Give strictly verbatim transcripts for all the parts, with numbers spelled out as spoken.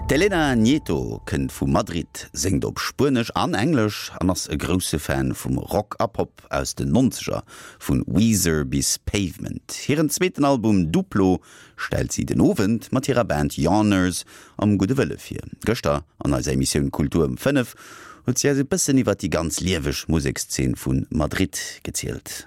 D'Elena Nieto kënnt vu Madrid, séngt op Spuenesch an Englesch an ass e grousse Fan vum Rock a Pop aus den Nonzeger, vu Weezer bis Pavement. Hiren zweeten Album Duplo stellt si den Owend mat hirer Band Yawners am Gudde Wëlle vir. Gëschter an eiser Emissioun Kultur um fënnef huet si eis e bëssen iwwer déi ganz lieweg Musekszeen vu Madrid gezielt.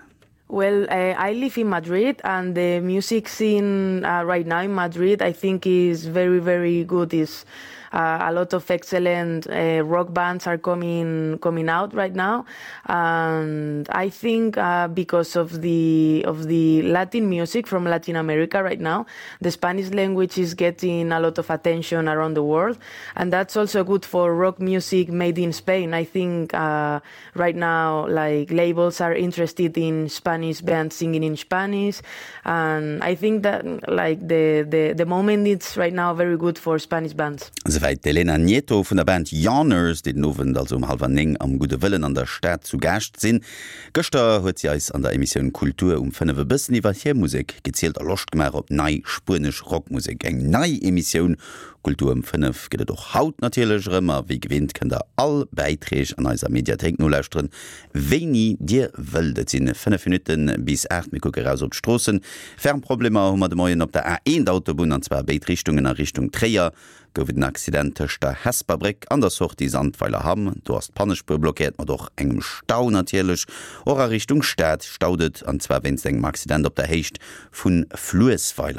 Well, uh, I live in Madrid, and the music scene uh, right now in Madrid, I think, is very, very good. Is uh, a lot of excellent uh, rock bands are coming coming out right now, and I think uh, because of the of the Latin music from Latin America right now, the Spanish language is getting a lot of attention around the world, and that's also good for rock music made in Spain. I think uh, right now, like labels are interested in Spanish bands singing in Spanish, and I think that like the the the moment it's right now very good for Spanish bands. Souwäit d'Elena Nieto vun der Band Yawners, déi den Owend also um hallwer néng am Gudde Wëllen an der Stad zu Gaascht sinn. Gëschter huet si eis an der Emissioun Kultur um fënnef e bëssen iwwer hir Musek gezielt a Loscht gemaach op nei spuenesch Rockmusek. Eng nei Emissioun Kultur um fënnef gëtt et och haut natierlech erëm a wéi gewinnt kënnt der all Bäiträg an eiser Mediathéik nolauschteren, wéini dir wëllt. Et sinn fënnef Minutte bis aacht, mir kucke raus op d'Stroossen. Ferm Problemer hu mer de Moien op der A eent Autobunn, an zwar a béid Richtungen a Richtung Tréier gouf et en Accident tëscht der Hesper Bréck an der Sortie Sandweiler-Hamm. Do ass d'Pannespuer blockéiert, mat och engem Stau natierlech. Och a Richtung Stad staut et, an zwar wéinst engem Accident op der Héicht vu Fluessweiler.